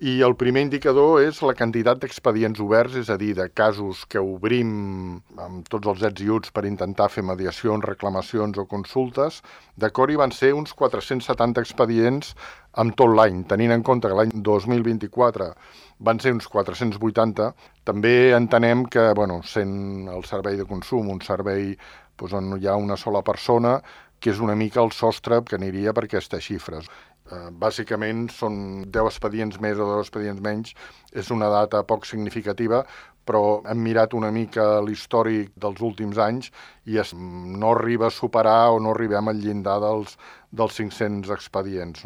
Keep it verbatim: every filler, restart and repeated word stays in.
I el primer indicador és la quantitat d'expedients oberts, és a dir, de casos que obrim amb tots els ets i uts per intentar fer mediacions, reclamacions o consultes. D'acord, i van ser uns quatre-cents setanta expedients amb tot l'any, tenint en compte que l'any dos mil vint-i-quatre van ser uns quatre-cents vuitanta. També entenem que, bueno, sent el servei de consum un servei doncs, on hi ha una sola persona, que és una mica el sostre que aniria per aquestes xifres. Uh, bàsicament són deu expedients més o deu expedients menys, és una data poc significativa, però hem mirat una mica l'històric dels últims anys i es, no arriba a superar o no arribem al llindar dels, dels cinc-cents expedients.